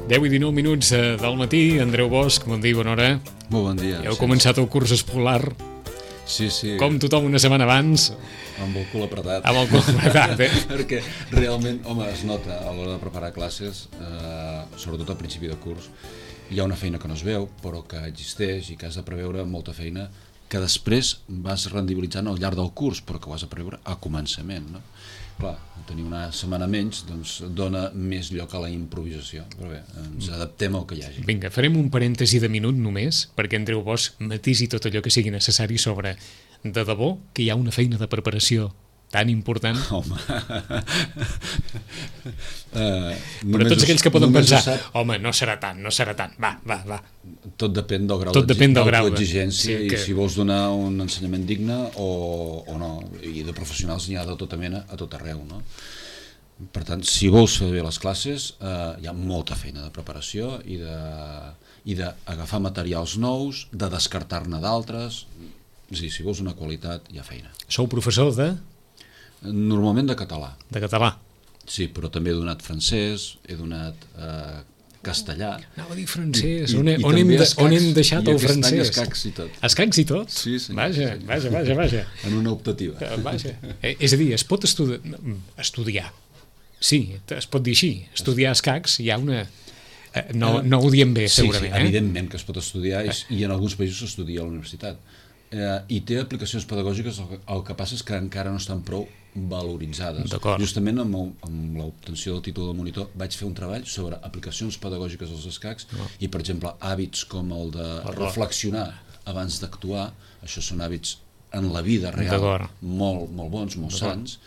10:19 del matí. Andreu Bosch, bon dia, bona hora. Molt bon dia. Heu començat el curs escolar, Sí. com tothom una setmana abans, Amb el cul apretat. amb el cul apretat, Perquè realment, home, es nota a l'hora de preparar classes, sobretot al principi de curs, hi ha una feina que no es veu, però que existeix i que has de preveure molta feina que després vas rendibilitzant al llarg del curs, però que ho has de preveure a començament, no? Clar, tenir una setmana menys doncs, dona més lloc a la improvisació, però bé, ens adaptem al que hi hagi. Vinga, farem un parèntesi de minut només, perquè Andreu Bosch matisi tot allò que sigui necessari sobre, de debò, que hi ha una feina de preparació tan important. Home, Però tots aquells que poden pensar, home, no serà tant, va. Tot depèn del grau d'autoexigència i si vols donar un ensenyament digne o no. I de professionals n'hi ha de tota mena a tot arreu, no? Per tant, si vols fer bé les classes, hi ha molta feina de preparació i d'agafar materials nous, de descartar-ne d'altres. És a dir, si vols una qualitat, hi ha feina. Sou professor de? Normalment de català. De català. Sí, però també he donat francès, he donat castellà. Anava a dir francès, on hem deixat el francès? Escacs i tot. Escacs i tot? Sí, sí. Vaja. En una optativa. Vaja. És a dir, es pot estudiar. Sí, es pot dir així. Estudiar escacs hi ha una... No ho diem bé, segurament. Sí, evidentment que es pot estudiar i en alguns països s'estudia a la universitat. I té aplicacions pedagògiques, el que passa és que encara no estan prou valoritzades. Justament amb l'obtenció del títol de monitor vaig fer un treball sobre aplicacions pedagògiques als escacs i, per exemple, hàbits com el de reflexionar abans d'actuar. Això són hàbits en la vida real molt bons, molt sants,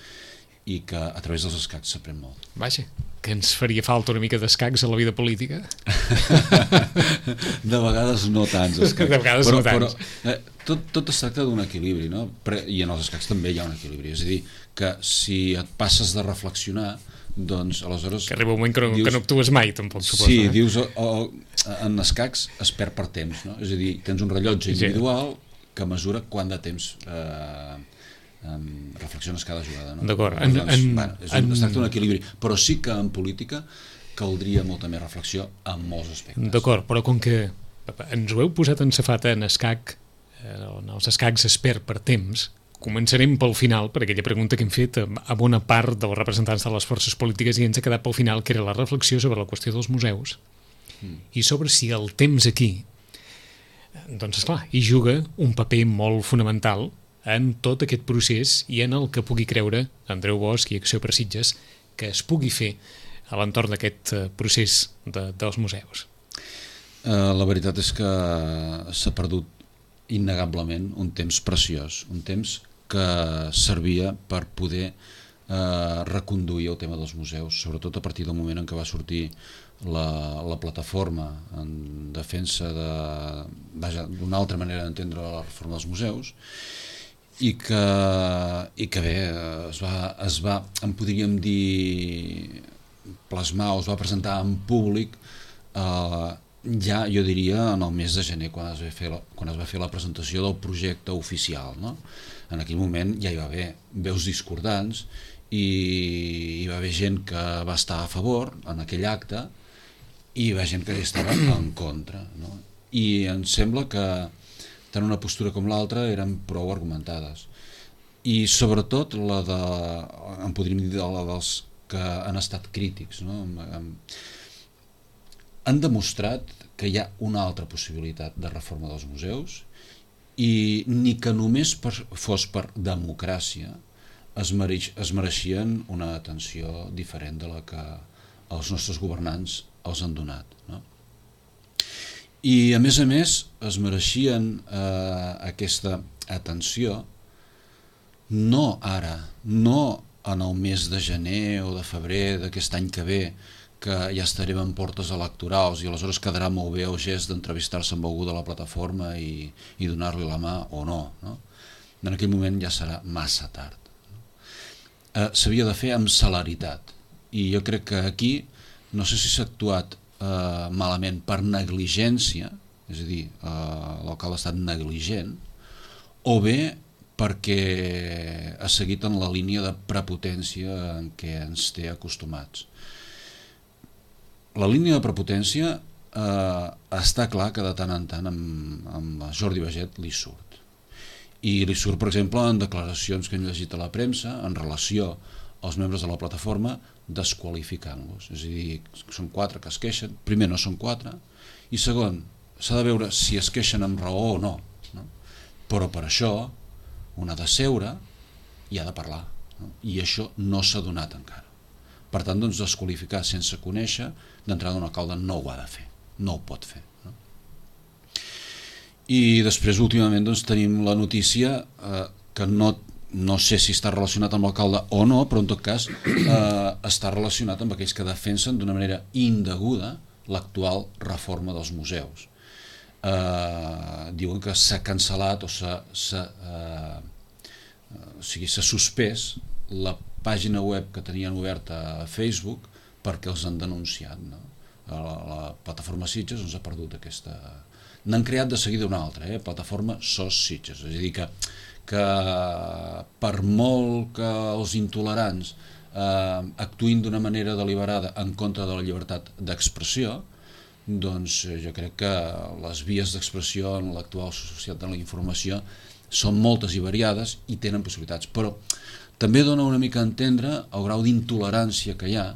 i que a través dels escacs s'aprèn molt. Vaja, que ens faria falta una mica d'escacs a la vida política? De vegades no tants escacs. De vegades no tants. Però tot es tracta d'un equilibri, no? I en els escacs també hi ha un equilibri. És a dir, que si et passes de reflexionar, doncs aleshores... Que arriba un moment que no actues mai, tampoc, suposo. Sí, dius, en escacs es perd per temps, no? És a dir, tens un rellotge individual que mesura quant de temps reflexiones cada jugada, no? D'acord. Es tracta d'un equilibri, però sí que en política caldria molta més reflexió en molts aspectes. D'acord, però com que ens ho heu posat en safata en escac, en els escacs es perd per temps, començarem pel final, per aquella pregunta que hem fet a bona part dels representants de les forces polítiques i ens ha quedat pel final, que era la reflexió sobre la qüestió dels museus i sobre si el temps aquí, doncs esclar, hi juga un paper molt fonamental en tot aquest procés i en el que pugui creure Andreu Bosch i Acció per Sitges que es pugui fer a l'entorn d'aquest procés dels museus. La veritat és que s'ha perdut innegablement un temps preciós, un temps que servia per poder reconduir el tema dels museus, sobretot a partir del moment en què va sortir la plataforma en defensa d'una altra manera d'entendre la reforma dels museus i que bé, es va, en podríem dir, plasmar o es va presentar en públic ja, jo diria, en el mes de gener, quan es va fer la presentació del projecte oficial, no? En aquell moment ja hi va haver veus discordants i hi va haver gent que va estar a favor en aquell acte i hi va gent que hi estava en contra, no? I em sembla que tant una postura com l'altra eren prou argumentades. I sobretot en podríem dir la dels que han estat crítics, no? Han demostrat que hi ha una altra possibilitat de reforma dels museus i ni que només fos per democràcia es mereixien una atenció diferent de la que els nostres governants els han donat, no? I a més es mereixien aquesta atenció no ara, no en el mes de gener o de febrer d'aquest any que ve, que ja estarem en portes electorals i aleshores quedarà molt bé el gest d'entrevistar-se amb algú de la plataforma i donar-li la mà o no, no? En aquell moment ja serà massa tard. S'havia de fer amb celeritat i jo crec que aquí no sé si s'ha actuat malament per negligència, és a dir, l'alcalde ha estat negligent, o bé perquè ha seguit en la línia de prepotència en què ens té acostumats. la línia de prepotència està clar que de tant en tant amb Jordi Baget li surt. I li surt, per exemple, en declaracions que hem llegit a la premsa en relació als membres de la plataforma desqualificant-los. És a dir, són 4 que es queixen. Primer, no són 4. I segon, s'ha de veure si es queixen amb raó o no. Però per això un ha de seure i ha de parlar. I això no s'ha donat encara. Per tant, doncs, desqualificar sense conèixer, d'entrada un alcalde no ho ha de fer. No ho pot fer. I després, últimament, doncs, tenim la notícia que no sé si està relacionat amb l'alcalde o no, però en tot cas està relacionat amb aquells que defensen d'una manera indeguda l'actual reforma dels museus. Diuen que s'ha cancel·lat o s'ha suspès la pàgina web que tenien oberta a Facebook perquè els han denunciat. La plataforma Sitges ha perdut aquesta... N'han creat de seguida una altra, plataforma SOS Sitges. És a dir, que per molt que els intolerants actuïn d'una manera deliberada en contra de la llibertat d'expressió, doncs jo crec que les vies d'expressió en l'actual societat de la informació són moltes i variades i tenen possibilitats, però també dona una mica a entendre el grau d'intolerància que hi ha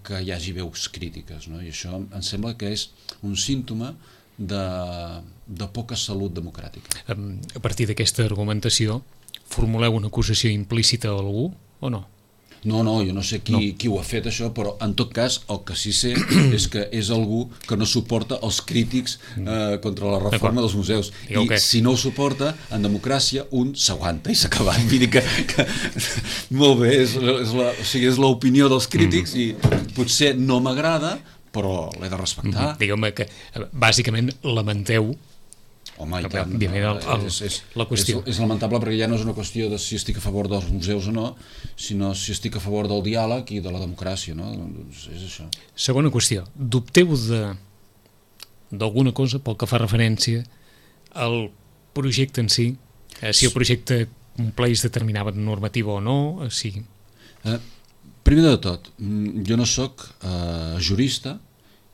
que hi hagi veus crítiques, no? I això em sembla que és un símptoma de poca salut democràtica. A partir d'aquesta argumentació, formuleu una acusació implícita a algú o no? No, jo no sé qui ho ha fet això, però en tot cas el que sí sé és que és algú que no suporta els crítics contra la reforma dels museus. I si no ho suporta, en democràcia un s'aguanta i s'ha acabat. Vull dir que molt bé, és l'opinió dels crítics i potser no m'agrada, però l'he de respectar. Digueu-me que bàsicament lamenteu. Home, i tant, la qüestió. És lamentable perquè ja no és una qüestió de si estic a favor dels museus o no, sinó si estic a favor del diàleg i de la democràcia, no? Doncs és això. Segona qüestió, dubteu d'alguna cosa pel que fa referència al projecte en si, si el projecte compleix determinada normativa o no, si... Primer de tot, jo no soc jurista,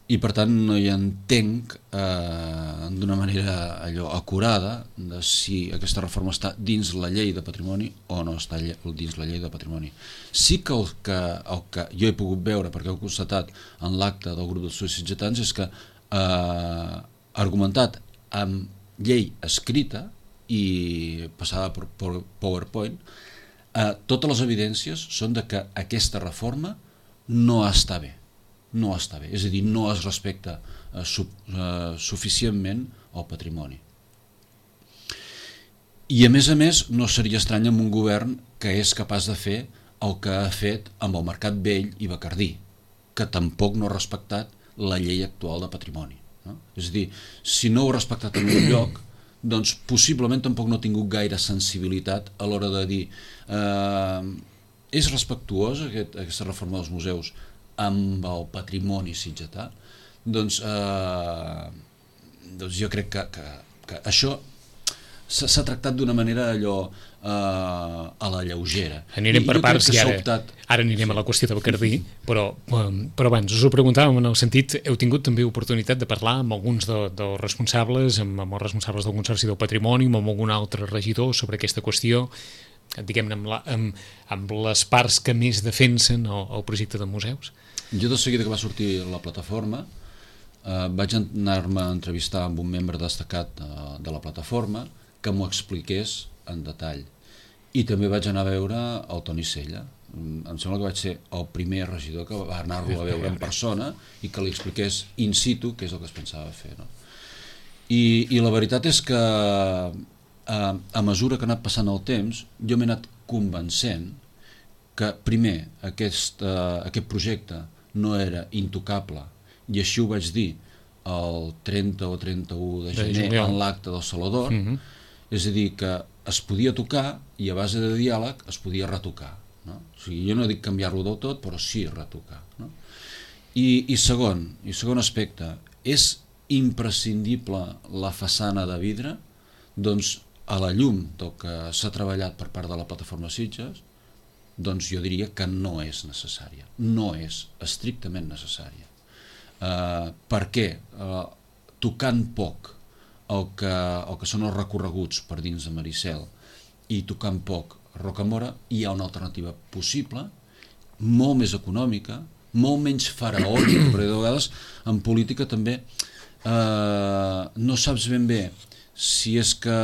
i per tant no hi entenc d'una manera acurada de si aquesta reforma està dins la llei de patrimoni o no està dins la llei de patrimoni. Sí que el que jo he pogut veure, perquè ho he constatat en l'acte del grup dels estudis sitgetans, és que argumentat amb llei escrita i passada per PowerPoint, totes les evidències són de que aquesta reforma no està bé. No està bé, és a dir, no es respecta suficientment el patrimoni. I a més, no seria estrany amb un govern que és capaç de fer el que ha fet amb el Mercat Vell i Bacardí, que tampoc no ha respectat la llei actual de patrimoni. És a dir, si no ho ha respectat en un lloc, doncs possiblement tampoc no ha tingut gaire sensibilitat a l'hora de dir és respectuosa aquesta reforma dels museus amb el patrimoni sitgetà, doncs jo crec que això s'ha tractat d'una manera allò a la lleugera. Anirem per parts i ara anirem a la qüestió de Bacardí, però abans us ho preguntàvem en el sentit, heu tingut també oportunitat de parlar amb alguns dels responsables, amb els responsables del Consorci del Patrimoni, amb algun altre regidor sobre aquesta qüestió, diguem-ne amb les parts que més defensen el projecte de museus? Jo de seguida que va sortir la plataforma vaig anar-me a entrevistar amb un membre destacat de la plataforma que m'ho expliqués en detall, i també vaig anar a veure el Toni Sella. Em sembla que vaig ser el primer regidor que va anar-lo a veure en persona i que li expliqués in situ què és el que es pensava fer, no? I la veritat és que a mesura que ha anat passant el temps jo m'he anat convencent que primer aquest projecte no era intocable, i així ho vaig dir el 30 o 31 de gener en l'acte del Saló d'Or, és a dir, que es podia tocar i a base de diàleg es podia retocar, no? O sigui, jo no dic canviar-lo del tot, però sí retocar, no? I segon aspecte, és imprescindible la façana de vidre? Doncs a la llum del que s'ha treballat per part de la plataforma Sitges, doncs jo diria que no és necessària, no és estrictament necessària. Per què? Tocant poc el que són els recorreguts per dins de Maricel i tocant poc Rocamora, hi ha una alternativa possible, molt més econòmica, molt menys faraònica, perquè de vegades en política també no saps ben bé si és que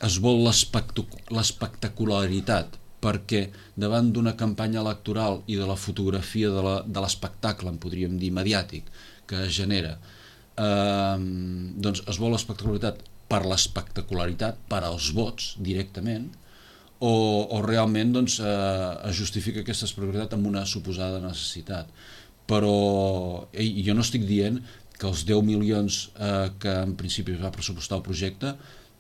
es vol l'espectacularitat, perquè davant d'una campanya electoral i de la fotografia de l'espectacle, en podríem dir mediàtic, que es genera, doncs es vol l'espectacularitat per l'espectacularitat, per als vots directament, o realment doncs, es justifica aquesta espectacularitat amb una suposada necessitat. Però jo no estic dient que els 10 milions que en principi es va pressupostar el projecte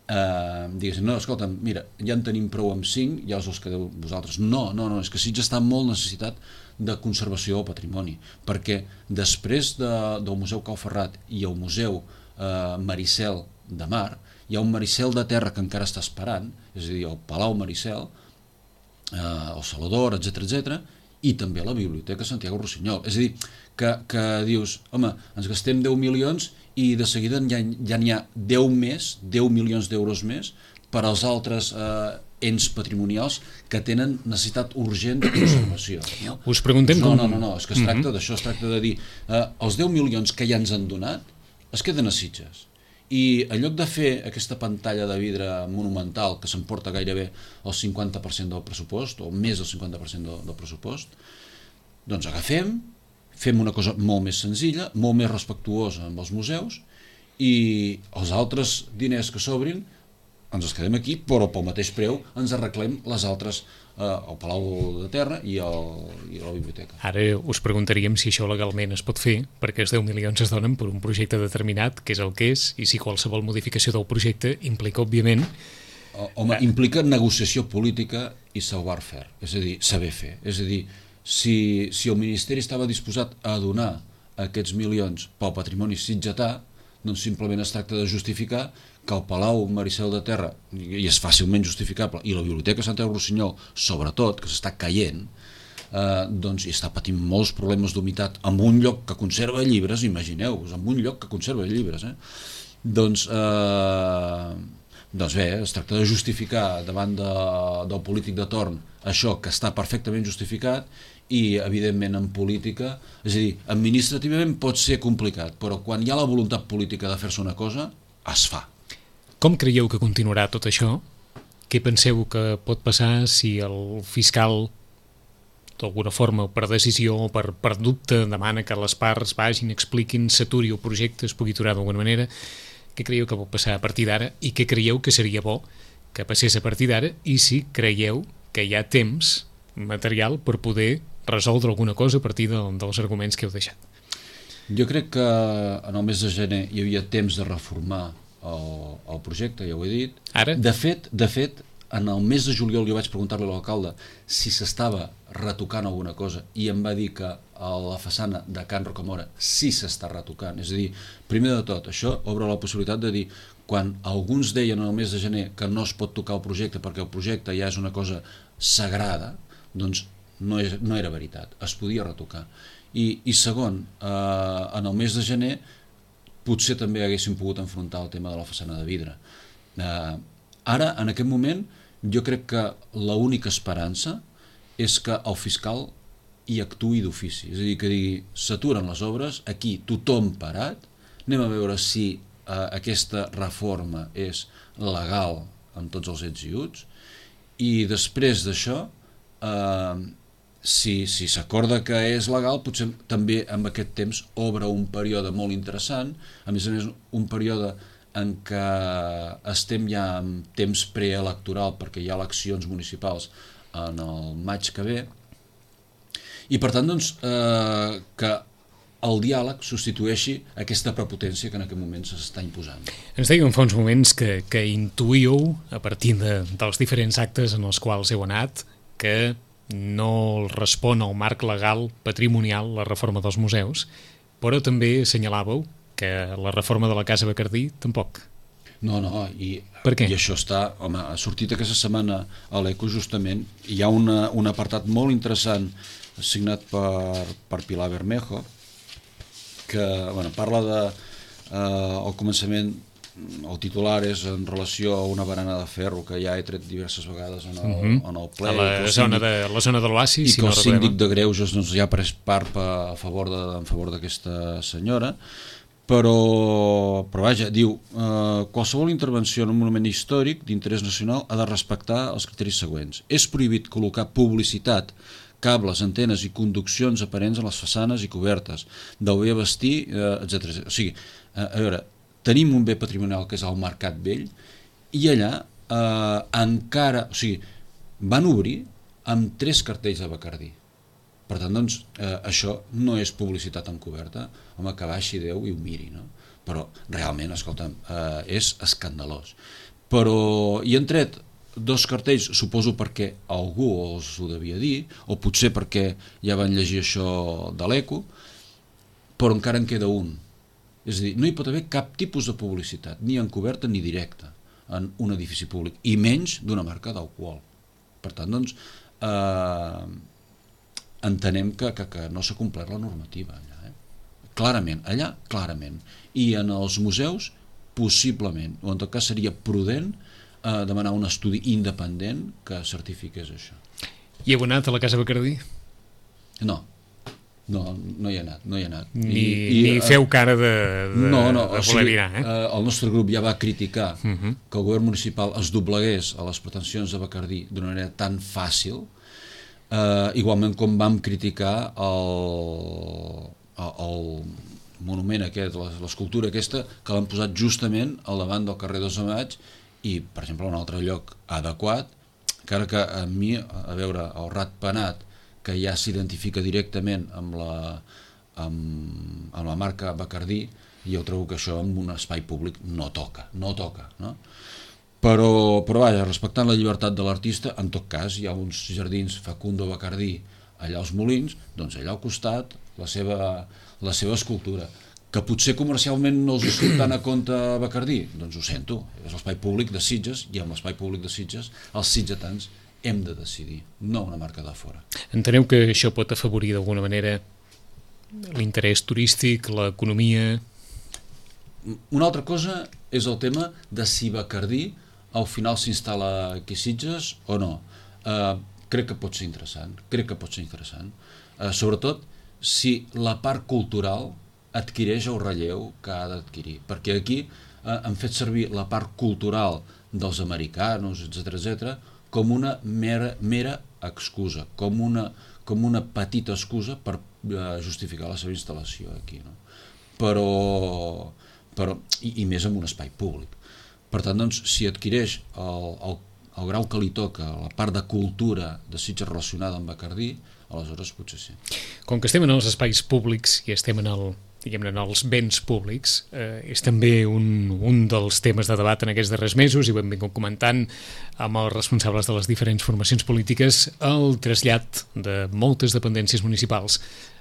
diguéssim, no, escolta, mira, ja en tenim prou amb 5, ja us els quedeu vosaltres. No, és que Sitges està molt necessitat de conservació del patrimoni, perquè després del Museu Cau Ferrat i el Museu Maricel de Mar, hi ha un Maricel de terra que encara està esperant, és a dir, el Palau Maricel, el Salador, etc, i també la Biblioteca Santiago Rossinyol. És a dir, que dius, home, ens gastem 10 milions i de seguida ja n'hi ha 10 milions d'euros més per als altres ens patrimonials que tenen necessitat urgent de conservació. No? Us preguntem com... No, és que es tracta d'això, es tracta de dir els 10 milions que ja ens han donat es queden a Sitges. I en lloc de fer aquesta pantalla de vidre monumental que s'emporta gairebé el 50% del pressupost, o més del 50% del pressupost, doncs fem una cosa molt més senzilla, molt més respectuosa amb els museus, i els altres diners que s'obrin ens els quedem aquí, però pel mateix preu ens arreglem les altres, el Palau de Terra i la biblioteca. Ara us preguntaríem si això legalment es pot fer, perquè els 10 milions es donen per un projecte determinat, que és el que és, i si qualsevol modificació del projecte implica, òbviament... Home, implica negociació política i savoir-faire, és a dir, saber fer. És a dir, si el Ministeri estava disposat a donar aquests milions pel patrimoni sitgetà, doncs simplement es tracta de justificar que el Palau Maricel de Terra, i és fàcilment justificable, i la Biblioteca Santiago Rossinyol, sobretot, que s'està caient, doncs hi està patint molts problemes d'humitat en un lloc que conserva llibres, imagineu-vos, en un lloc que conserva llibres, doncs bé, es tracta de justificar davant del polític de torn això que està perfectament justificat, i evidentment en política, és a dir, administrativament pot ser complicat, però quan hi ha la voluntat política de fer-se una cosa, es fa. Com creieu que continuarà tot això? Què penseu que pot passar si el fiscal, d'alguna forma, per decisió o per dubte, demana que les parts vagin, expliquin, s'aturi el projecte, es pugui aturar d'alguna manera? Què creieu que pot passar a partir d'ara i què creieu que seria bo que passés a partir d'ara, i si creieu que hi ha temps material per poder resoldre alguna cosa a partir dels arguments que heu deixat? Jo crec que en el mes de gener hi havia temps de reformar el projecte, ja ho he dit. Ara? De fet, en el mes de juliol jo vaig preguntar-li a l'alcalde si s'estava retocant alguna cosa i em va dir que a la façana de Can Rocamora sí s'està retocant. És a dir, primer de tot, això obre la possibilitat de dir, quan alguns deien en el mes de gener que no es pot tocar el projecte perquè el projecte ja és una cosa sagrada, doncs no era veritat, es podia retocar. I segon, en el mes de gener potser també haguéssim pogut enfrontar el tema de la façana de vidre. Ara, en aquest moment, jo crec que l'única esperança és que el fiscal hi actuï d'ofici, és a dir, que digui, s'aturen les obres, aquí tothom parat, anem a veure si aquesta reforma és legal amb tots els ets i uts, i després d'això, si s'acorda que és legal, potser també amb aquest temps obre un període molt interessant, a més un període en què estem ja en temps preelectoral perquè hi ha eleccions municipals en el maig que ve, i per tant doncs, que el diàleg substitueixi aquesta prepotència que en aquest moment s'està imposant. Ens dèieu fa uns moments que intuïu, a partir dels diferents actes en els quals heu anat, que no respon al marc legal patrimonial la reforma dels museus, però també assenyalàveu que la reforma de la Casa Bacardí tampoc. No, i això està, home, ha sortit aquesta setmana a l'ECO justament, hi ha un apartat molt interessant signat per Pilar Bermejo, que parla de al començament el titular és en relació a una barana de ferro que ja he tret diverses vegades en el ple, a la zona de l'oasi, i que el síndic de Greuges ja ha pres part en favor d'aquesta senyora, però vaja, diu qualsevol intervenció en un monument històric d'interès nacional ha de respectar els criteris següents. És prohibit col·locar publicitat, cables, antenes i conduccions aparents a les façanes i cobertes del bé vestir, etc. O sigui, a veure, tenim un bé patrimonial que és el Mercat Vell i allà encara, o sigui, van obrir amb 3 cartells de Bacardí. Per tant, doncs, això no és publicitat encoberta. Home, que baixi Déu i ho miri, no? Però realment, escolta'm, és escandalós. Però hi han tret 2 cartells, suposo perquè algú els ho devia dir, o potser perquè ja van llegir això de l'Eco, però encara en queda un. És a dir, no hi pot haver cap tipus de publicitat, ni encoberta ni directa, en un edifici públic, i menys d'una marca d'alcohol. Per tant, doncs, entenem que no s'ha complert la normativa allà. Clarament, allà, clarament. I en els museus, possiblement, o en tot cas seria prudent demanar un estudi independent que certifiqués això. I heu anat a la Casa Bacardí? No hi ha anat. Ni feu cara de voler mirar, el nostre grup ja va criticar que el govern municipal es doblegués a les pretensions de Bacardí d'una manera tan fàcil, igualment com vam criticar el monument aquest, l'escultura aquesta, que l'han posat justament al davant del carrer 2 de Maig i, per exemple, un altre lloc adequat, encara que a mi, a veure, el ratpenat, que ja s'identifica directament amb la marca Bacardí, i jo trobo que això en un espai públic no toca, no? Però vaja, respectant la llibertat de l'artista, en tot cas hi ha uns jardins Facundo Bacardí allà als Molins, doncs allà al costat la seva escultura, que potser comercialment no els surt tant a compte Bacardí, doncs ho sento, és l'espai públic de Sitges, i amb l'espai públic de Sitges els sitgetans hem de decidir, no una marca de fora. Enteneu que això pot afavorir d'alguna manera l'interès turístic, l'economia? Una altra cosa és el tema de si Bacardí al final s'instal·la aquí a Sitges o no. Crec que pot ser interessant. Sobretot si la part cultural adquireix el relleu que ha d'adquirir, perquè aquí han fet servir la part cultural dels americanos, etc., com una mera excusa, com una petita excusa per justificar la seva instal·lació aquí, no? Però i més en un espai públic. Per tant, doncs, si adquireix el grau que li toca, la part de cultura de Sitges relacionada amb Bacardí, aleshores potser sí. Com que estem en els espais públics i estem en els béns públics, és també un dels temes de debat en aquests darrers mesos, i ho hem vingut comentant amb els responsables de les diferents formacions polítiques, el trasllat de moltes dependències municipals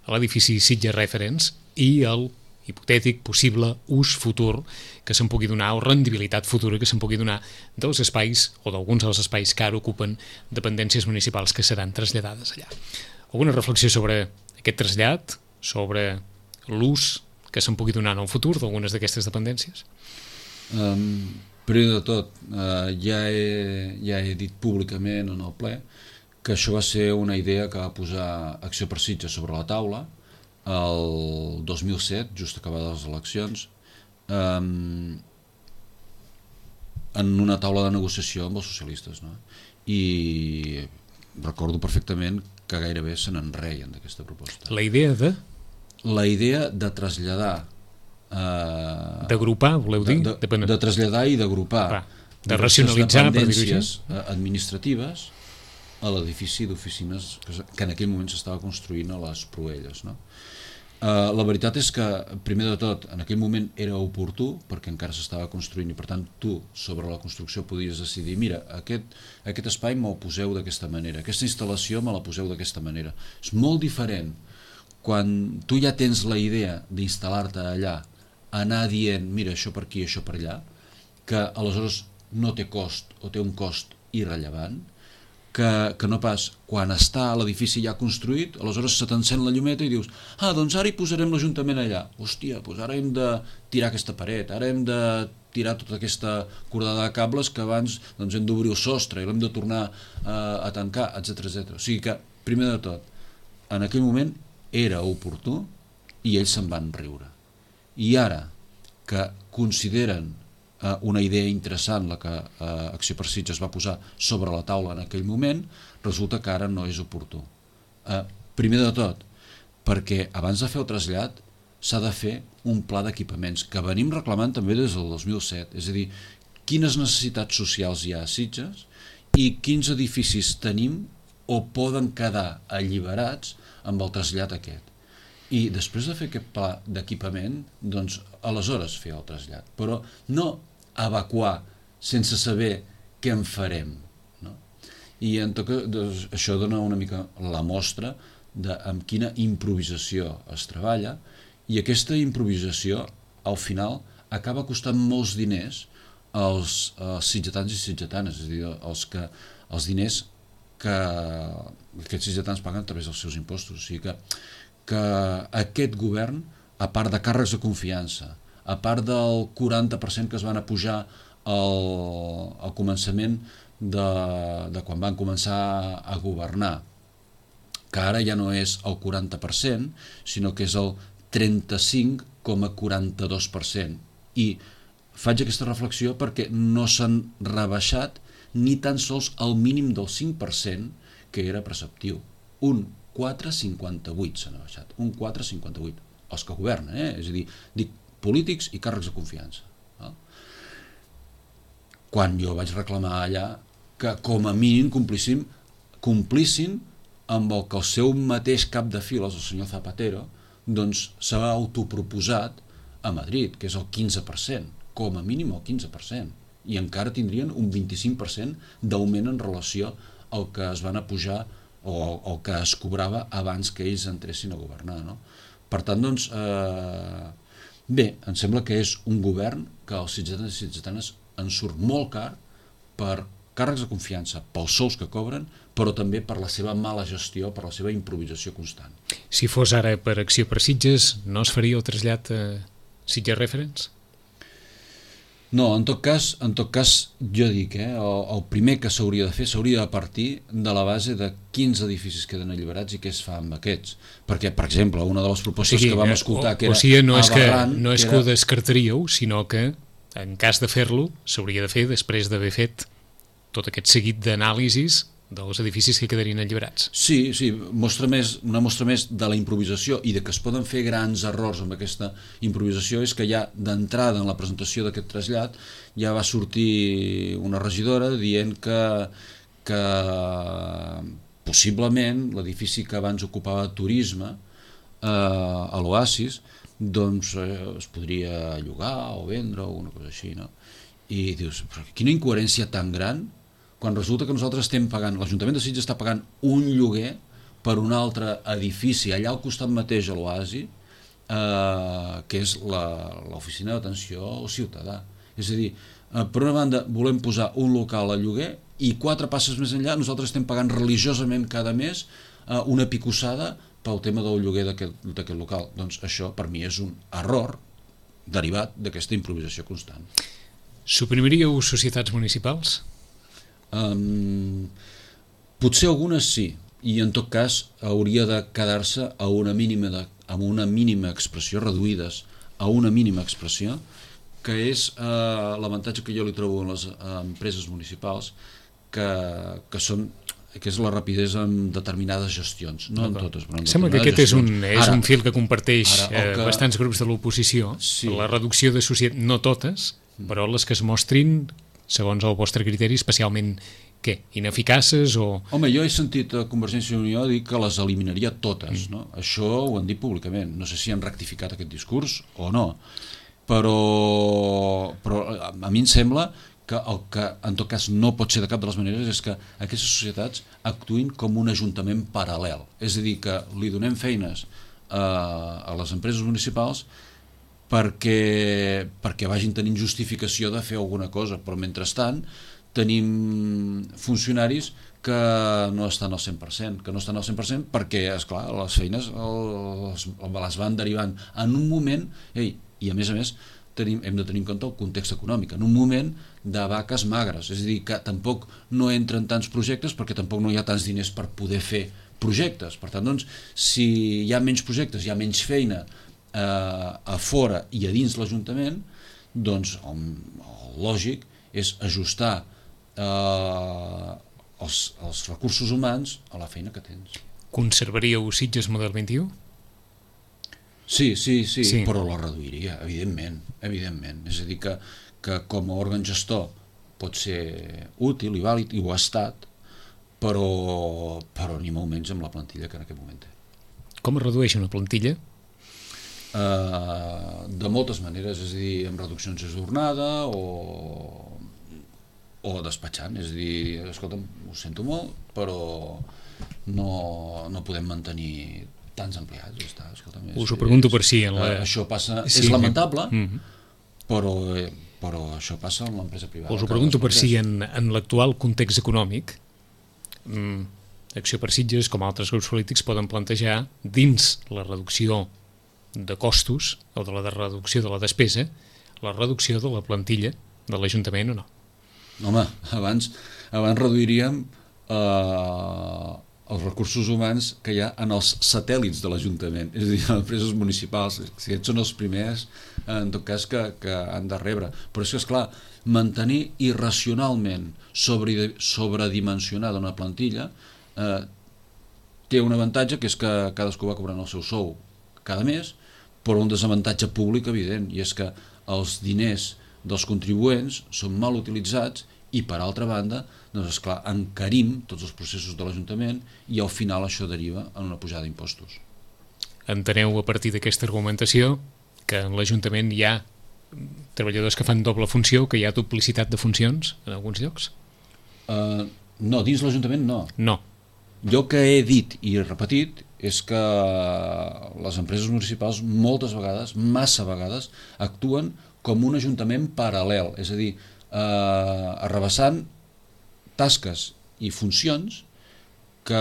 a l'edifici Sitges Reference i el hipotètic possible ús futur que se'n pugui donar, o rendibilitat futura que se'n pugui donar dels espais o d'alguns dels espais que ara ocupen dependències municipals que seran traslladades allà. Alguna reflexió sobre aquest trasllat, sobre l'ús que se'n pugui donar en el futur d'algunes d'aquestes dependències? Primer de tot, ja he dit públicament en el ple que això va ser una idea que va posar Acció per Sitges sobre la taula el 2007, just acabades les eleccions, en una taula de negociació amb els socialistes, no? I recordo perfectament que gairebé se n'enreien d'aquesta proposta. La idea de traslladar... d'agrupar, voleu dir? De traslladar i d'agrupar de racionalitzar dependències administratives a l'edifici d'oficines que en aquell moment s'estava construint a les Proelles, no? La veritat és que, primer de tot, en aquell moment era oportú perquè encara s'estava construint i per tant tu sobre la construcció podies decidir, mira, aquest espai me'l poseu d'aquesta manera, aquesta instal·lació me la poseu d'aquesta manera. És molt diferent quan tu ja tens la idea d'instal·lar-te allà, anar dient, mira, això per aquí, això per allà, que aleshores no té cost o té un cost irrellevant, que no pas quan està l'edifici ja construït, aleshores se t'encén la llumeta i dius, doncs ara hi posarem l'Ajuntament allà. Hòstia, doncs ara hem de tirar aquesta paret, ara hem de tirar tota aquesta cordada de cables que abans doncs, hem d'obrir el sostre i l'hem de tornar a tancar, etc. O sigui que, primer de tot, en aquell moment era oportú i ells se'n van riure. I ara que consideren una idea interessant la que Acció per Sitges va posar sobre la taula en aquell moment, resulta que ara no és oportú. Primer de tot, perquè abans de fer el trasllat s'ha de fer un pla d'equipaments que venim reclamant també des del 2007, és a dir, quines necessitats socials hi ha a Sitges i quins edificis tenim o poden quedar alliberats amb el trasllat aquest. I després de fer aquest pla d'equipament, doncs aleshores fer el trasllat, però no evacuar sense saber què en farem. No? I en tot cas, doncs, això dona una mica la mostra de amb quina improvisació es treballa, i aquesta improvisació al final acaba costant molts diners als sitgetans i sitgetanes, és a dir, els diners que aquests sitgetans paguen a través dels seus impostos. O sigui que aquest govern, a part de càrrecs de confiança, a part del 40% que es van apujar al començament de quan van començar a governar, que ara ja no és el 40%, sinó que és el 35,42%. I faig aquesta reflexió perquè no s'han rebaixat ni tan sols el mínim del 5% que era preceptiu. Un 4,58 s'han baixat, un 4,58. Els que governen, és a dir, dic polítics i càrrecs de confiança. Quan jo vaig reclamar allà que com a mínim complissin amb el que el seu mateix cap de files, el senyor Zapatero, doncs s'ha autoproposat a Madrid, que és el 15%, com a mínim el 15%, i encara tindrien un 25% d'augment en relació al que es van apujar o el que es cobrava abans que ells entressin a governar. No? Per tant, doncs, bé, em sembla que és un govern que als sitgetans i sitgetanes en surt molt car per càrrecs de confiança, pels sous que cobren, però també per la seva mala gestió, per la seva improvisació constant. Si fos ara per Acció per Sitges, no es faria el trasllat a Sitges Reference? No, en tot cas jo dic, el primer que s'hauria de fer s'hauria de partir de la base de quins edificis queden alliberats i què es fa amb aquests. Perquè, per exemple, una de les propostes que vam escoltar que era aberrant... No és que ho descartaríeu, sinó que en cas de fer-lo s'hauria de fer després d'haver fet tot aquest seguit d'anàlisis dels edificis que quedarien alliberats. Sí, una mostra més de la improvisació i de que es poden fer grans errors amb aquesta improvisació és que ja d'entrada en la presentació d'aquest trasllat ja va sortir una regidora dient que possiblement l'edifici que abans ocupava turisme a l'Oasis doncs es podria llogar o vendre o una cosa així, no? I dius, però quina incoherència tan gran quan resulta que nosaltres estem pagant, l'Ajuntament de Sitges està pagant un lloguer per un altre edifici allà al costat mateix a l'Oasi, que és l'oficina d'atenció al ciutadà. És a dir, per una banda volem posar un local a lloguer i 4 passes més enllà nosaltres estem pagant religiosament cada mes una picossada pel tema del lloguer d'aquest local. Doncs això per mi és un error derivat d'aquesta improvisació constant. Suprimiríeu societats municipals? Potser algunes sí, i en tot cas hauria de quedar-se amb una mínima expressió, reduïdes a una mínima expressió, que és l'avantatge que jo li trobo en les empreses municipals, que és la rapidesa en determinades gestions, no en totes, però en sembla que aquest gestions. és un fil que comparteix bastants grups de l'oposició, sí. La reducció de societats, no totes, però les que es mostrin segons el vostre criteri, especialment què? Ineficaces o... Home, jo he sentit a Convergència i Unió dir que les eliminaria totes, no? Això ho han dit públicament, no sé si han rectificat aquest discurs o no, però a mi em sembla que el que en tot cas no pot ser de cap de les maneres és que aquestes societats actuïn com un ajuntament paral·lel, és a dir, que li donem feines a les empreses municipals perquè vagin tenint justificació de fer alguna cosa, però mentrestant tenim funcionaris que no estan al 100%, perquè, esclar, les feines les van derivant en un moment, i a més hem de tenir en compte el context econòmic, en un moment de vaques magres, és a dir, que tampoc no entren tants projectes perquè tampoc no hi ha tants diners per poder fer projectes. Per tant, doncs, si hi ha menys projectes, hi ha menys feina a fora i a dins l'Ajuntament, doncs el lògic és ajustar els recursos humans a la feina que tens. Conservaríeu Sitges model 21? Sí, però la reduiria, evidentment. És a dir, que com a òrgan gestor pot ser útil i vàlid, i ho ha estat, però ni molt menys amb la plantilla que en aquest moment té. Com es redueix una plantilla? De moltes maneres, és a dir, amb reduccions de jornada o despatxant, és a dir, escolta'm, ho sento molt, però no podem mantenir tants empleats, ja està, escolta'm. Us ho pregunto per si això passa, és lamentable, però això passa en l'empresa privada. Us ho pregunto per si en l'actual context econòmic Acció per Sitges, com altres grups polítics, poden plantejar dins la reducció de costos o de la reducció de la despesa, la reducció de la plantilla de l'Ajuntament o no? Home, abans reduiríem els recursos humans que hi ha en els satèl·lits de l'Ajuntament, és a dir, les empreses municipals. Si aquests són els primers, en tot cas, que han de rebre. Però és que, esclar, mantenir irracionalment sobredimensionada una plantilla té un avantatge, que és que cadascú va cobrant el seu sou cada mes, però un desavantatge públic evident, i és que els diners dels contribuents són mal utilitzats i, per altra banda, doncs, esclar, encarim tots els processos de l'Ajuntament i al final això deriva en una pujada d'impostos. Enteneu a partir d'aquesta argumentació que en l'Ajuntament hi ha treballadors que fan doble funció, que hi ha duplicitat de funcions en alguns llocs? No, dins l'Ajuntament no. No. Jo que he dit i he repetit és que les empreses municipals moltes vegades, massa vegades, actuen com un ajuntament paral·lel, és a dir, arrabassant tasques i funcions que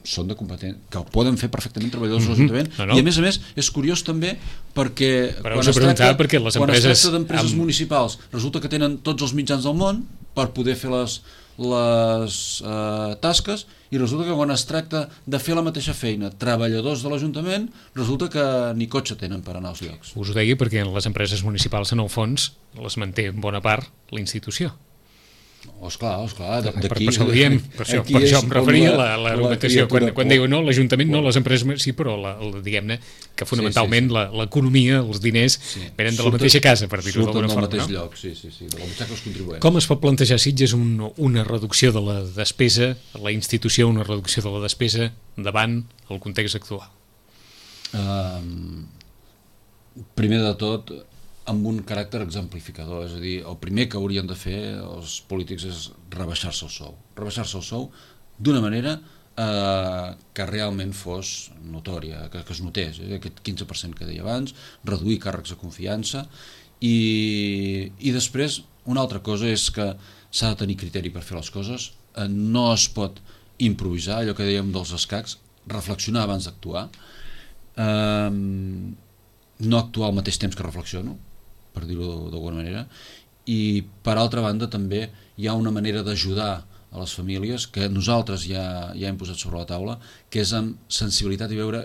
són de competència, que ho poden fer perfectament treballadors de l'Ajuntament, i a més és curiós també perquè quan es tracta d'empreses municipals resulta que tenen tots els mitjans del món per poder fer les tasques, i resulta que quan es tracta de fer la mateixa feina treballadors de l'Ajuntament, resulta que ni cotxe tenen per anar als llocs. Us ho deia perquè en les empreses municipals, en el fons, les manté en bona part la institució. Esclar, per això ho diem, per això em referia a l'argumentació, quan diu no, l'Ajuntament no, les empreses sí, però diguem-ne que fonamentalment l'economia, els diners venen de la mateixa casa, per dir-ho d'alguna forma. Surten del mateix lloc, sí, de la butxaca dels contribuents. Com es pot plantejar, Sitges, una reducció de la despesa, la institució, una reducció de la despesa davant el context actual? Primer de tot, amb un caràcter exemplificador, és a dir, el primer que haurien de fer els polítics és rebaixar-se el sou d'una manera que realment fos notòria, que es notés, aquest 15% que deia abans, reduir càrrecs de confiança, i després una altra cosa és que s'ha de tenir criteri per fer les coses, no es pot improvisar, allò que dèiem dels escacs, reflexionar abans d'actuar, no actuar al mateix temps que reflexiono, per dir-ho d'alguna manera, i per altra banda també hi ha una manera d'ajudar a les famílies que nosaltres ja hem posat sobre la taula, que és amb sensibilitat i veure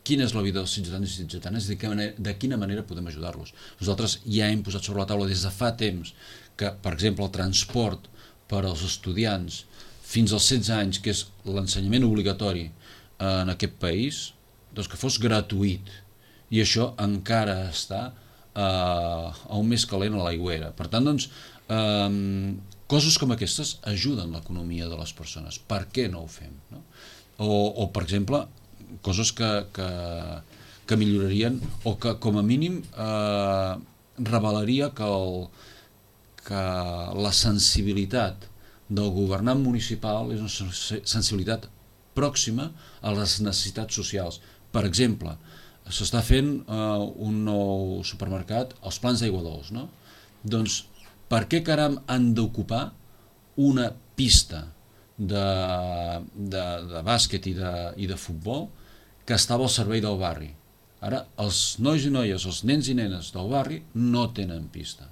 quina és la vida dels ciutadans i ciutadanes i de quina manera podem ajudar-los. Nosaltres ja hem posat sobre la taula des de fa temps que, per exemple, el transport per als estudiants fins als 16 anys, que és l'ensenyament obligatori en aquest país, doncs que fos gratuït, i això encara està a un més calent a l'aigüera. Per tant, doncs, coses com aquestes ajuden l'economia de les persones. Per què no ho fem? No? O, per exemple, coses que millorarien o que, com a mínim, revelaria que la sensibilitat del governant municipal és una sensibilitat pròxima a les necessitats socials. Per exemple, s'està fent un nou supermercat als Plans d'Aigua Dols, no? Doncs Per què caram han d'ocupar una pista de bàsquet i de futbol que estava al servei del barri? Ara, els nois i noies, els nens i nenes del barri no tenen pista.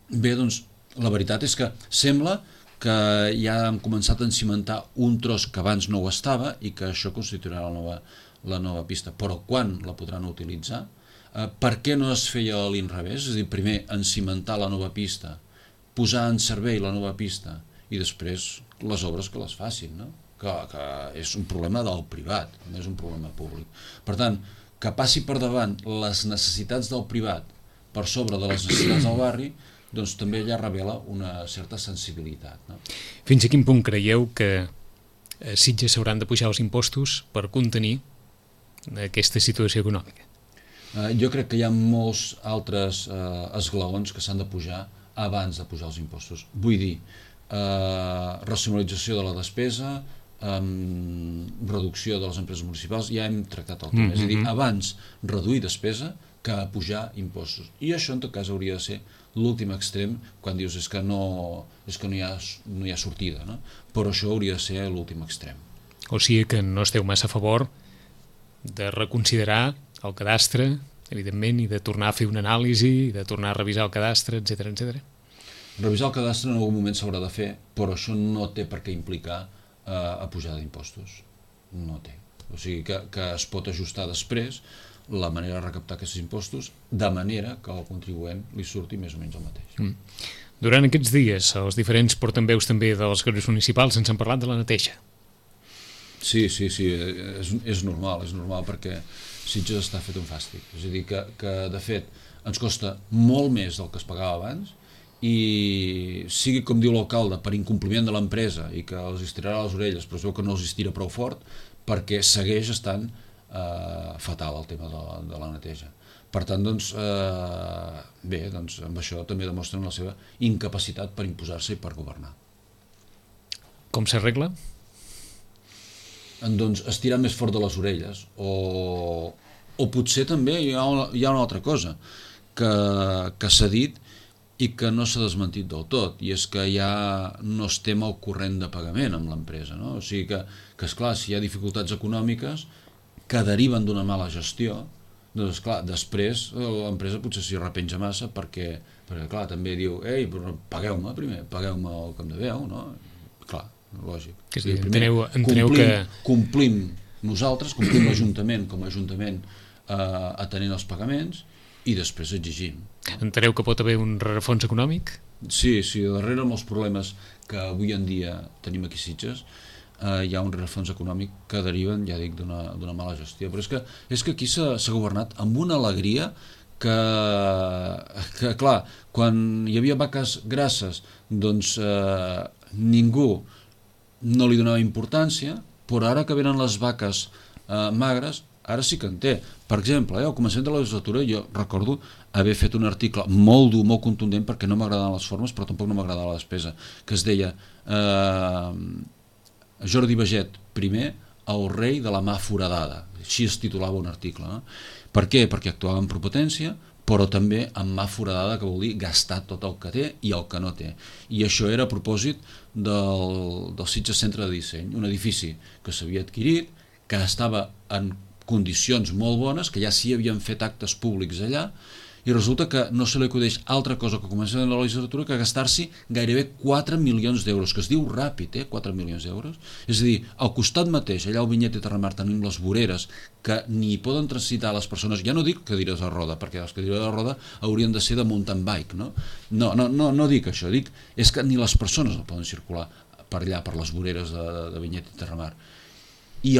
Bé, doncs, la veritat és que sembla que ja han començat a encimentar un tros que abans no ho estava i que això constituirà la nova pista. Però quan la podran utilitzar? Per què no es feia a l'inrevés? És a dir, primer encimentar la nova pista, posar en servei la nova pista i després les obres que les facin, no? Que és un problema del privat, no és un problema públic. Per tant, que passi per davant les necessitats del privat per sobre de les necessitats del barri, doncs també ja revela una certa sensibilitat, no? Fins a quin punt creieu que Sitges s'hauran de pujar els impostos per contenir aquesta situació econòmica? Jo crec que hi ha molts altres esglaons que s'han de pujar abans de pujar els impostos. Vull dir, racionalització de la despesa, reducció de les empreses municipals, ja hem tractat el tema. És a dir, abans reduir despesa que pujar impostos. I això, en tot cas, hauria de ser l'últim extrem quan dius és que no hi ha sortida, no? Però això hauria de ser l'últim extrem. O sigui que no esteu massa a favor de reconsiderar el cadastre, evidentment, i de tornar a fer una anàlisi, i de tornar a revisar el cadastre, etc etc. Revisar el cadastre en algun moment s'haurà de fer, però això no té per què implicar a pujada d'impostos. No té. O sigui que es pot ajustar després la manera de recaptar aquests impostos de manera que al contribuent li surti més o menys el mateix. Durant aquests dies, els diferents portaveus també dels grups municipals ens han parlat de la neteja. Sí, és normal perquè Sitges està fet un fàstic. És a dir, que de fet ens costa molt més del que es pagava abans i sigui com diu l'alcalde, per incompliment de l'empresa i que els estirarà les orelles, però es veu que no els estira prou fort perquè segueix estant fatal el tema de la neteja. Per tant, doncs, bé, doncs, amb això també demostren la seva incapacitat per imposar-se i per governar. Com s'arregla? Doncs estirar més fort de les orelles o potser també hi ha una altra cosa que s'ha dit i que no s'ha desmentit del tot, i és que ja no estem al corrent de pagament amb l'empresa, no? O sigui que esclar, si hi ha dificultats econòmiques que deriven d'una mala gestió, doncs clar, després l'empresa potser s'hi repenja massa perquè clar, també diu, ei, però pagueu-me primer, pagueu-me el que em deveu, no? Clar, lògic. Enteneu que complim nosaltres, complim l'Ajuntament com a Ajuntament atenent els pagaments i després exigim. Enteneu que pot haver un rerefons econòmic? Sí, darrere amb els problemes que avui en dia tenim aquí a Sitges hi ha un rerefons econòmic que deriven, ja dic, d'una mala gestió. Però és que aquí s'ha governat amb una alegria que clar, quan hi havia vaques grasses, doncs ningú no li donava importància, però ara que venen les vaques magres, ara sí que en té. Per exemple, al començament de la legislatura jo recordo haver fet un article molt dur, molt contundent, perquè no m'agradaven les formes, però tampoc no m'agradava la despesa, que es deia Jordi Baget I, el rei de la mà foradada. Així es titulava un article. No? Per què? Perquè actuava amb propotència, però també amb mà foradada, que vol dir gastar tot el que té i el que no té. I això era a propòsit del Sitges Centre de Disseny, un edifici que s'havia adquirit, que estava en condicions molt bones, que ja s'hi havien fet actes públics allà, i resulta que no se li acudeix altra cosa que començar en la legislatura que gastar-s'hi gairebé 4 milions d'euros, que es diu ràpid, 4 milions d'euros. És a dir, al costat mateix, allà al Vinyet i Terramar, tenim les voreres que ni poden transitar les persones, ja no dic cadires de roda, perquè les cadires de roda haurien de ser de mountain bike, no? No dic això, dic és que ni les persones no poden circular per allà, per les voreres de Vinyet i Terramar. I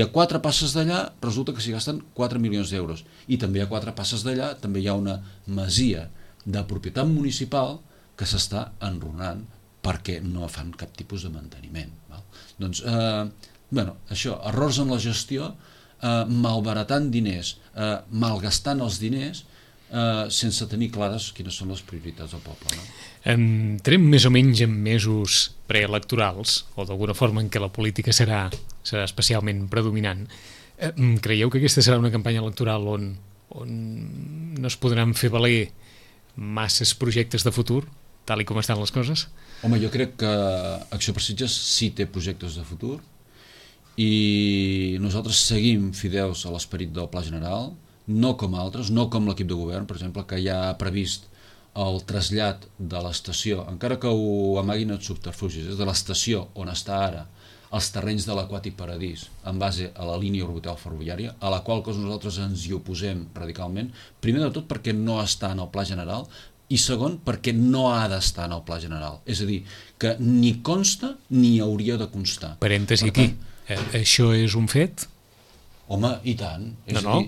a 4 passes d'allà resulta que s'hi gasten 4 milions d'euros. I també a 4 passes d'allà també hi ha una masia de propietat municipal que s'està enrunant perquè no fan cap tipus de manteniment. Val? Doncs, això, errors en la gestió, malbaratant diners, malgastant els diners, sense tenir clares quines són les prioritats del poble. No? Entrem més o menys en mesos preelectorals, o d'alguna forma en què la política serà especialment predominant. Creieu que aquesta serà una campanya electoral on no es podran fer valer masses projectes de futur, tal i com estan les coses? Home, jo crec que Acció per Sitges sí té projectes de futur i nosaltres seguim fidels a l'esperit del Pla General, no com altres, no com l'equip de govern, per exemple, que ja ha previst el trasllat de l'estació, encara que ho amaguin els subterfugis, és de l'estació on està ara, els terrenys de l'Aquàtic Paradís, en base a la línia orbital ferroviària, a la qual cosa nosaltres ens hi oposem radicalment, primer de tot perquè no està en el Pla General, i segon, perquè no ha d'estar en el Pla General. És a dir, que ni consta ni hauria de constar. Parèntesi aquí. Això és un fet? Home, i tant.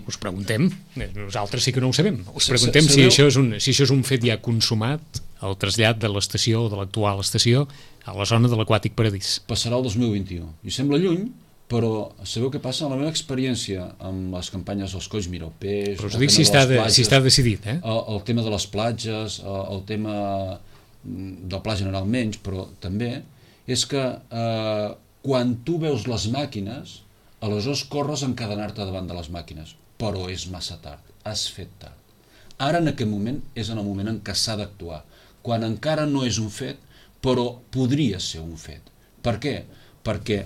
Us preguntem. Nosaltres sí que no ho sabem. Us preguntem si això és un fet ja consumat, el trasllat de l'estació, de l'actual estació, a la zona de l'Aquàtic Paradís. Passarà el 2021. I sembla lluny, però sabeu què passa? En la meva experiència amb les campanyes dels colls miropers... Però us dic si està decidit, el tema de les platges, el tema del Pla General menys, però també, és que quan tu veus les màquines, aleshores corres a encadenar-te davant de les màquines, però és massa tard, has fet tard. Ara en aquest moment és en el moment en què s'ha d'actuar, quan encara no és un fet, però podria ser un fet. Per què? Perquè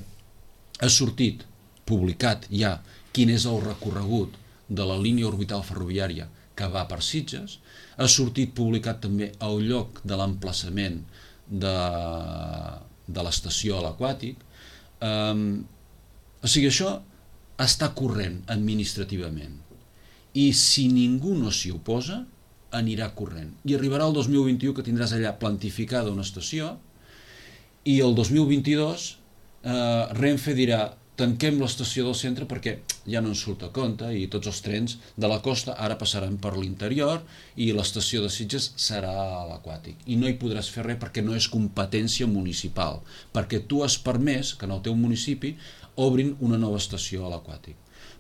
ha sortit, publicat ja, quin és el recorregut de la línia orbital ferroviària que va per Sitges, ha sortit publicat també el lloc de l'emplaçament de l'estació a l'Aquàtic. O sigui, això està corrent administrativament i si ningú no s'hi oposa anirà corrent i arribarà el 2021 que tindràs allà plantificada una estació i el 2022 Renfe dirà tanquem l'estació del centre perquè ja no ens surt a compte i tots els trens de la costa ara passaran per l'interior i l'estació de Sitges serà a l'Aquàtic i no hi podràs fer res perquè no és competència municipal, perquè tu has permès que en el teu municipi obrin una nova estació a l'Aquàtic.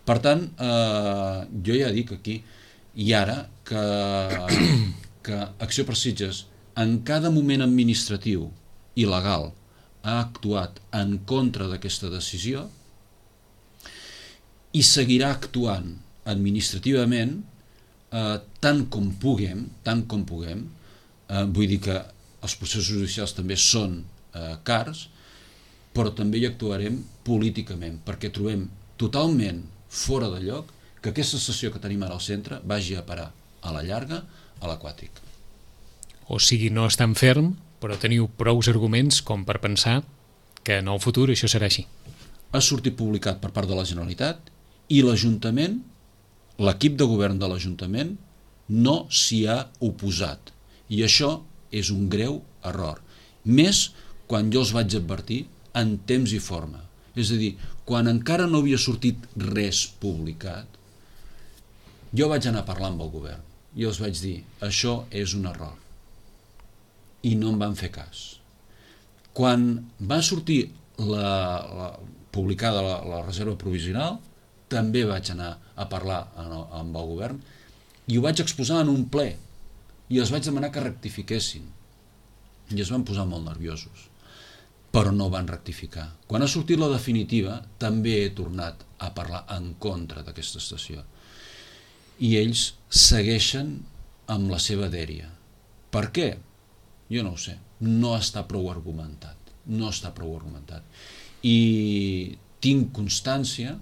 Per tant, jo ja dic aquí i ara que Acció per Sitges en cada moment administratiu i legal ha actuat en contra d'aquesta decisió i seguirà actuant administrativament tant com puguem, vull dir que els processos judicials també són cars, però també hi actuarem políticament, perquè trobem totalment fora de lloc que aquesta estació que tenim ara al centre vagi a parar a la llarga a l'Aquàtic. O sigui, no és tan ferm, però teniu prous arguments com per pensar que en el futur això serà així. Ha sortit publicat per part de la Generalitat i l'Ajuntament, l'equip de govern de l'Ajuntament, no s'hi ha oposat. I això és un greu error. Més quan jo els vaig advertir en temps i forma. És a dir, quan encara no havia sortit res publicat, jo vaig anar a parlar amb el govern i els vaig dir, això és un error. I no em van fer cas. Quan va sortir publicada la reserva provisional, també vaig anar a parlar amb el govern i ho vaig exposar en un ple i els vaig demanar que rectifiquessin i es van posar molt nerviosos, però no van rectificar. Quan ha sortit la definitiva també he tornat a parlar en contra d'aquesta estació i ells segueixen amb la seva dèria. Per què? Jo no ho sé, no està prou argumentat, i tinc constància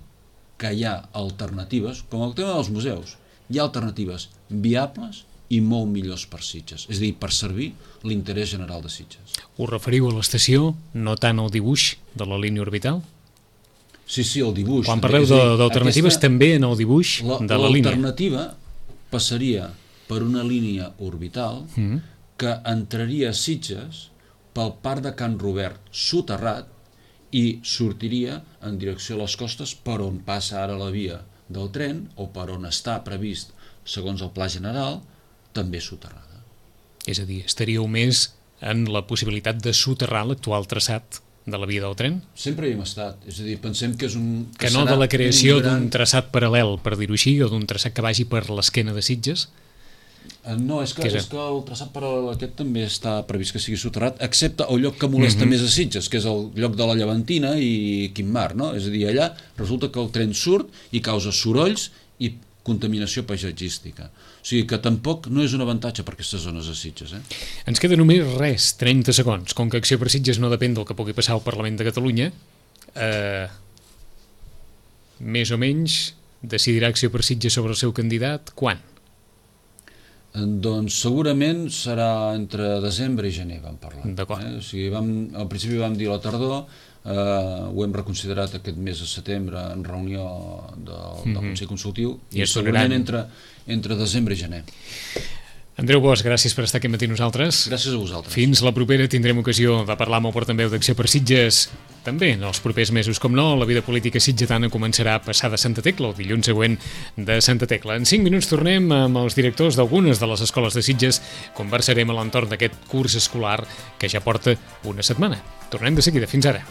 que hi ha alternatives, com el tema dels museus, hi ha alternatives viables i molt millors per Sitges, és a dir, per servir l'interès general de Sitges. Us referiu a l'estació, no tant al dibuix de la línia orbital? Sí, el dibuix. Quan parleu d'alternatives, també en el dibuix de la línia. L'alternativa passaria per una línia orbital que entraria a Sitges pel parc de Can Robert soterrat i sortiria en direcció a les costes per on passa ara la via del tren o per on està previst, segons el Pla General, també soterrada. És a dir, estaríeu més en la possibilitat de soterrar l'actual traçat de la via del tren? Sempre hi hem estat, és a dir, pensem que és un... Que no de la creació d'un traçat paral·lel, per dir-ho així, o d'un traçat que vagi per l'esquena de Sitges? No, és que el traçat paral·lel aquest també està previst que sigui soterrat, excepte el lloc que molesta més a Sitges, que és el lloc de la Llevantina i Quim Mar, no? És a dir, allà resulta que el tren surt i causa sorolls i contaminació paisatgística. O sigui que tampoc no és un avantatge per aquestes zones de Sitges. Ens queda només res, 30 segons. Com que Acció per Sitges no depèn del que pugui passar al Parlament de Catalunya, més o menys decidirà Acció per Sitges sobre el seu candidat quan? Doncs segurament serà entre desembre i gener, vam parlar. D'acord. O sigui, al principi vam dir la tardor, ho hem reconsiderat aquest mes de setembre en reunió del Consell Consultiu, i segurament entre desembre i gener. Andreu Bosch, gràcies per estar aquí matí nosaltres. Gràcies a vosaltres. Fins la propera tindrem ocasió de parlar amb el portaveu d'Acció per Sitges. També en els propers mesos, com no, la vida política sitgetana començarà a passar de Santa Tecla, el dilluns següent de Santa Tecla. En 5 minuts tornem amb els directors d'algunes de les escoles de Sitges. Conversarem a l'entorn d'aquest curs escolar que ja porta una setmana. Tornem de seguida. Fins ara.